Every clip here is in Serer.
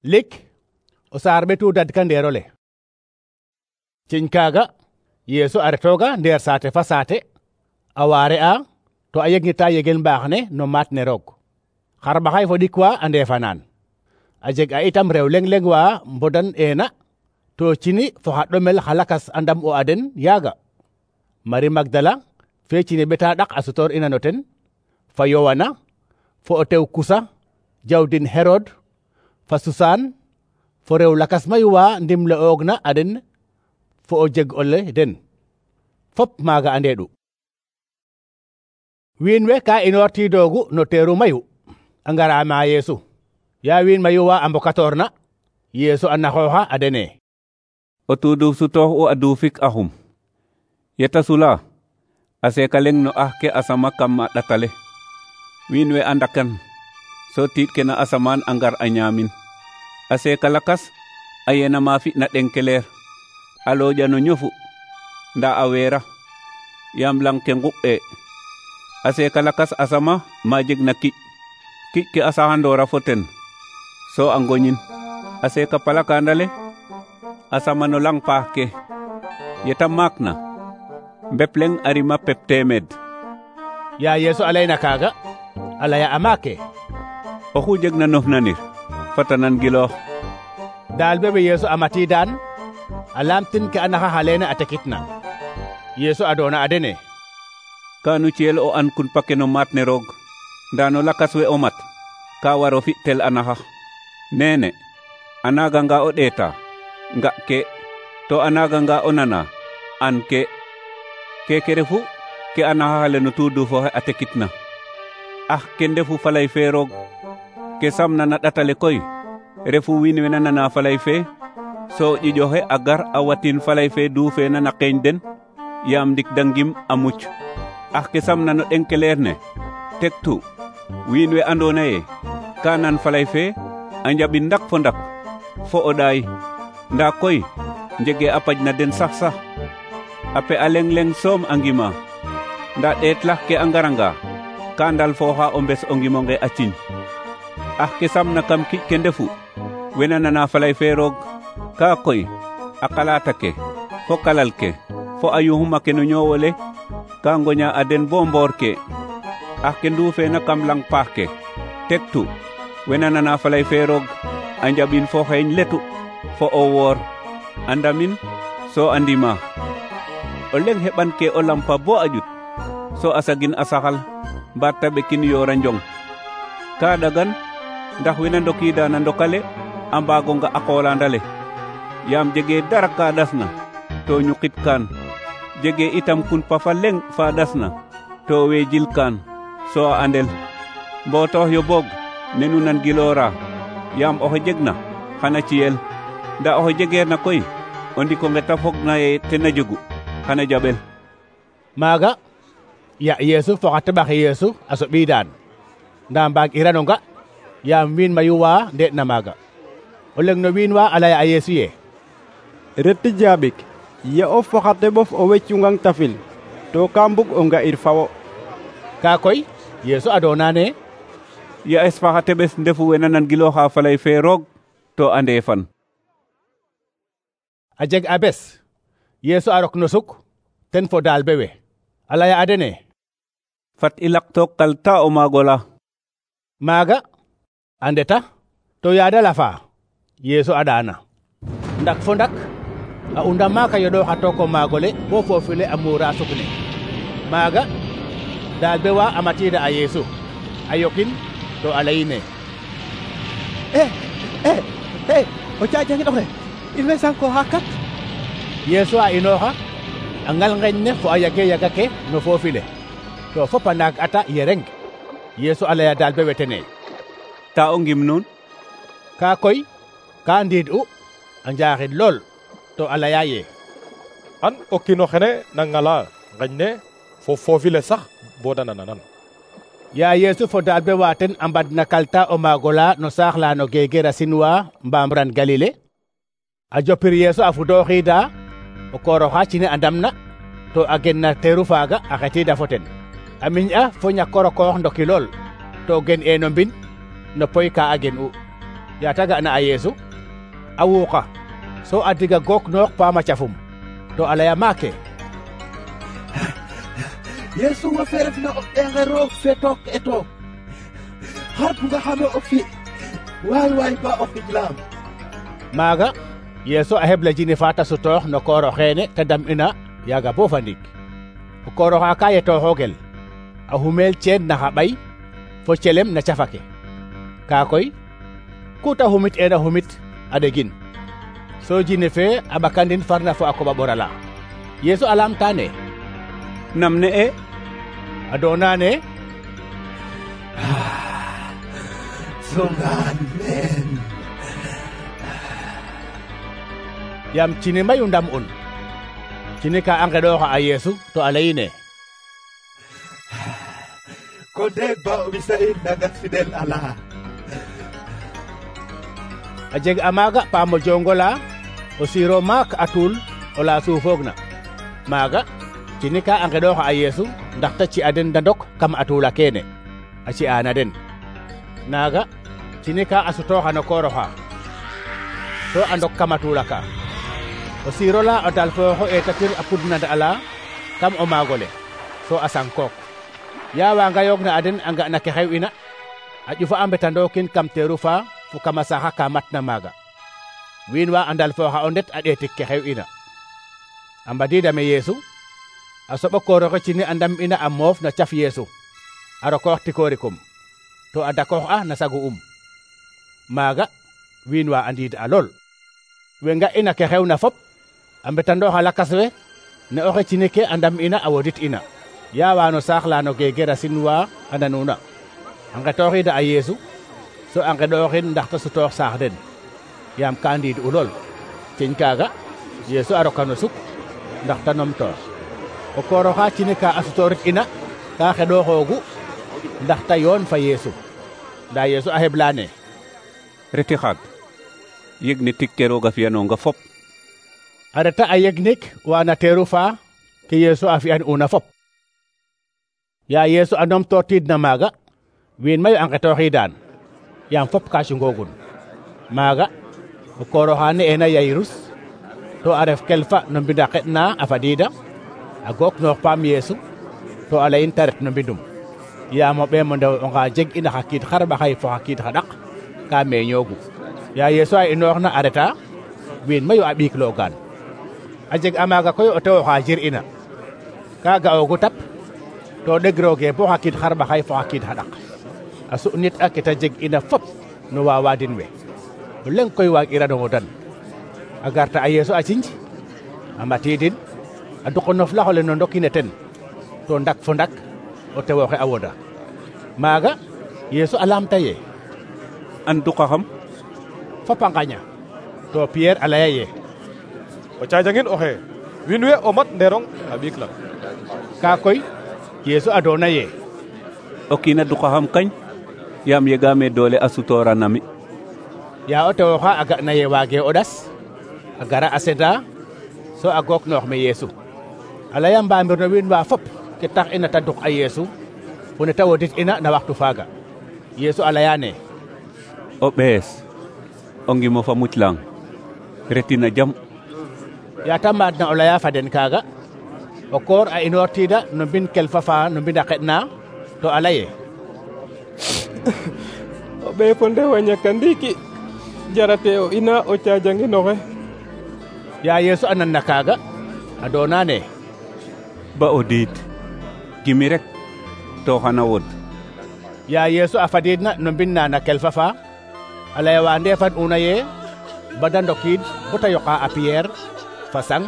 lik o saar ɓetu dadka ndeerole. Ciñ kaaga Yeesu a retooga ndeer saate fa saate a waare a to a yegnita yegel mbaax ne no maat ne roog. Xarɓaxay fo ɗik wa a ndeefanaan. A jeg a itam rew leŋ wa mbodan eena to cini fo xa ɗomel xa lakas a ndam o a den yaaga. Mari Magdala fe cini ɓeta ɗak a sutoor ina no ten, fa Yowana, fo o tew Kusa, jawdin Herod, fa Susaan, fo rew lakas mayu wa ndimle oogna a den fo o jeg ole den. Fop maaga a ndeeɗu. Wiin we ka inoor tiidoogu no teeru mayu a ngara ma Yeesu. Ya wiin mayu wa a mbokatoorna, Yeesu a naxooxa a dene. O tuuduf sutoox u a duufik axum. Yeta sula a seeka leŋ no ax ke a sama kam a ɗatale. Wiin we a ndakan so tiid ke na asamaan a ngar a ñaamin. A seeka lakas a yena ma fi'na ɗenkeleer a looƴa no ñofu ndaa a weera yaam lang ke ngu'e. A seeka lakas a sama ma jegna kiƴ ke a saxandoora fo ten so a ngoñin. A seeka palakandale a sama no lang paax ke. Yeta maakna mbep leŋ a rima pep teemed. Ya Yeesu a layna kaaga a laya a maake. Oxu jegna nof nanir fata nan giloox. Daal be Yeesu a matiidaan a laamtin ke a naxa leene a tekitna. Yeesu a doona a dene. Kaanu ciyel o an kun pake no maat ne roog, ndaa no lakas we o mat ka waro fi tel a naxa. Neene a naaganga o ɗeeta nga ke, to a naaganga o nana an ke. Keke refu ke a naxaxale no tuudufoxe a tekitna. Ke ndefu falay fe roog. Ke samna na ɗatale koy refu wiin we na nana falay fe so ƴiƴoxe a gar a watin falay fe duufeena na qeeñ den yaam ndik da ngim a muc. Ke samna no ɗenkeleer ne tektu wiin we andoona ye ka nan falay fe a njaɓin ndak fo ndak fo o ɗaay, ndaa koy njege a paj na den sax. A pe a leŋ soom a ngima, ndaa ɗeetlax ke a ngaranga ka ndal fooxa o mbes o ngimonge a ciñ. Ke samna kam kiƴ ke ndefu wena nana falay fe roog, ka koy a qalaata ke fo kalal ke fo a yuxuma ke no ñoowole ka ngoña a den bo mboor ke. Ke nduufeena kam lang paax ke tektu wena nana falay fe roog a njaɓin fo xeeñ letu fo o woor a ndamin so a ndima. O leŋ heɓan ke o lampa bo a ƴut so a sagin a saxal mbaat ta ɓekin yoora njong. Ka ɗagan ndax wena ndokiida na ndokale a mbaago nga a qoolandale, yaam jege dara ka ɗasna to ñuqit kaan. Jege itam kun pafa leŋ fa ɗasna to weejil kaan so a andel. Mbootox yo boog nenu nan giloora, yaam oxe jegna xana ciyel, ndaa oxe jegeerna koy o ndiko nge ta fogna ye tena jegu xana jaɓel. Maaga ya Yeesu fo xa teɓaxe Yeesu a soɓiidaan, ndaa mbaag irano nga yaam wiin mayu wa ndeeɗna maaga. O leŋ no wiin wa a laya a Yeesu ye: Reti jaabik, ye of fo xa teɓof o weccungang tafil to ka mbug o nga'ir fawo. Ka koy Yeesu a doonane: Ya es fa xa teɓes ndefu wena nan gilooxa falay fe roog to a ndeefan. A jeg a bes Yeesu a rok no suk ten fo daal bewe a laya a dene: Fat i laqtook kalta o maagola. Maaga a ndeta to yaada lafa Yeesu a ɗaana. Ndak fo ndak a unda maaka yoɗoxa took o maagole bo foofule a muura suk ne. Maaga daal be wa a matiida a Yeesu a yokin to a layine: o caajangi ɗoxe in way sanko xa kat. Yeesu a inooxa a ngal ngeñ ne fo a yage yaga ke no foofile to fop a naag ata yereng. Yeesu a laya daal be wetene: Ta o ngim nuun? Ka koy ka ndiid'u a njaaxid lool to a laya ye: An o kiino xene na ngala ngeñ ne fo foofile sax bo da nananan. Ya Yeesu fo daal be wa ten a mbadna kalta o maagola no saax la no geger a sinwa mbamran Galile. A jopir Yeesu a fudooxiida o kooroxa cine a ndamna to a gen na teeru faaga a xetiida fo ten. A miñ'a fo ñakorokoox ndoki lool to gen no mbin no poy ka a gen'u. ya ta ga'na a Yeesu a wuuqa so a diga gook noox paama cafum to a laya maake: Yeesu wo fe refna o ɓeexe roog fe took e took, xar buga xame o fi waay ba o xijlaam. maaga Yeesu a hebla jine fa ta sutoox no koor oxeene te dam'ina yaaga bo fa ndiik. o koor oxa ka yetooxoogel a humeel ceen na xa ɓay fo celem na cafake. kaa koy ku ta humit eena humit a ɗegin, so jine fe a ɓakandin farna fo a koɓa ɓorala. Yeesu a laamtaane: nam ne e? a doonaane: songaan meen. yaam cine mayu ndam'un. cine ka a ngeɗooxa a Yeesu to a layine: ko deeg ba o ɓisa in naga fidel ala. a jeg a maaga paamo jongola o siiro maak a tuul o la suufoogna. maaga cine ka a ngeɗooxa a Yeesu ndax ta ci'a den da ndok kam a tuula keene a ci'aana den. naaga cine ka a sutooxa no koor oxa so a ndok kam a tuula ka. o siiro la o dalfooxo eetatir a pudnand ala kam o maagole so a sankook. yaa wanga yoogna a den a nga'na ke xew'ina a ƴufa a mbetandookin kam teeru fa fo kama saxa ka matna maaga. wiin wa a ndalfooxa o ndet a ɗeetik ke xew'ina. a mbadiidame Yeesu a soɓa koor oxe cine a ndam'ina a moof na caf Yeesu a rokoox tikoorikum to a dakoox a na sagu maaga wiin wa a ndiid a lool. we nga'ina ke xewna fop a mbetandooxa lakas we ne oxe cine ke a ndam'ina a wodit ina. yaa wa no saax la no geegerasin wa a nanuuna a ngetooxiida a Yeesu so a ngeɗooxin ndax ta sutoox saax den yaam ka ndiid u lool. ciñ kaaga Yeesu a roka no suk ndax ta numtoox. o koor oxa cine ka a sutoorit ina ka xeɗooxoogu ndax ta yoon fa Yeesu. ndaa Yeesu a heblaane: reti xaag yeg ne tig ke roog a fi'anoonga fop. a reta a yegnik waana teeru fa ke Yeesu a fi'an'una fop. yaa Yeesu a numtootiidna maaga wiin mayu a ngetooxiidaan yaam fop ka cungoogun. maaga o koor oxa ne'eena Yayrus to a ref kelfa no mbind a xeɗna a fadiida a gook noox paam Yeesu to a layin ta ret no mbindum. yaam o ɓeem o ndew onga jeg ina xa kiid xarɓaxay fo xa kiid xa ɗaq ka meeñoogu. yaa Yeesu a inooxna a reta wiin mayu a ɓiikloogaan. a jeg a maaga koy o tew oxa jir'ina ka ga'oogu tap to ɗegrooge bo xa kiid xarɓaxay fo xa kiid xa ɗaq a su'nit a ke ta jeg ina fop no waawaadin we. o leŋ koy waag'irano wodan. a garta a Yeesu a cinj a matiidin a duq o noflax ole no ndokine ten to ndak fo ndak o tew oxe a woda. maaga Yeesu a laamta ye: an duqaxam? fop a ngaña. to Pierre a laya ye: o cajangin oxe wiin we o mat nderong a ɓiik lang. kaa koy Yeesu a doona ye: o kiin a duqaxam kañ yaam yegaame doole a sutoora na mi. yaa o tew oxa a ga'na ye waage o ɗas a gara a seda so a gook noox me Yeesu. a laya mbaamir no wiin wa fop ke tax ina ta duq a Yeesu fo ne ta wodit ina na waxtu faaga. Yeesu a layaane: o ɓees o ngimo fa muc lang retina jam. yaa ta maadna o laya fa den kaaga o koor a inoortiida no mbind kelfa fa no mbind a xeɗna to a laye: o ɓee fo ndew a ñaka ndiiki jarate o ina o cajangin oxe. yaa Yeesu a nanna kaaga a doonaane: ba o diid gimi rek to xana wod. yaa Yeesu a fadiidna no mbind na na kelfa fa a laya wa ndeefan una ye ba da ndokiid bo ta yoqa a Pierre fa sang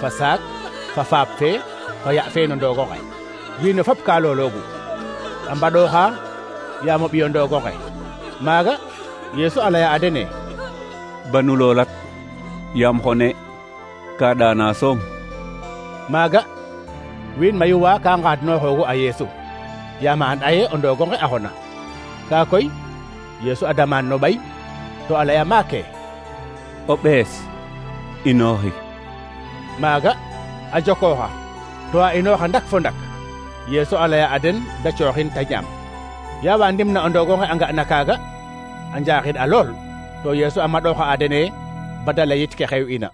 fa saak fa faap fe fa ya fe no ndoogo nge. wiin we fop ka looloogu a mbaɗooxa yaam o ɓiyo ndoogo nge. maaga Yeesu a laya a dene: banu loolat yaam xone ka ɗaana soom. maaga wiin mayu wa ka ngaadnooxoogu a Yeesu yaam a and'aye o ndoogo nge a xona. kaa koy Yeesu a damaan no ɓay to a laya maake: o ɓees inooxi. maaga a jokooxa to a inooxa ndak fo ndak. Yeesu a laya a den da cooxin ta ñaam. yaa wa ndimna o ndoogo nge a nga'na kaaga a njaaxid a lool to Yeesu a maɗoxa a dene bada layit ke xew ina.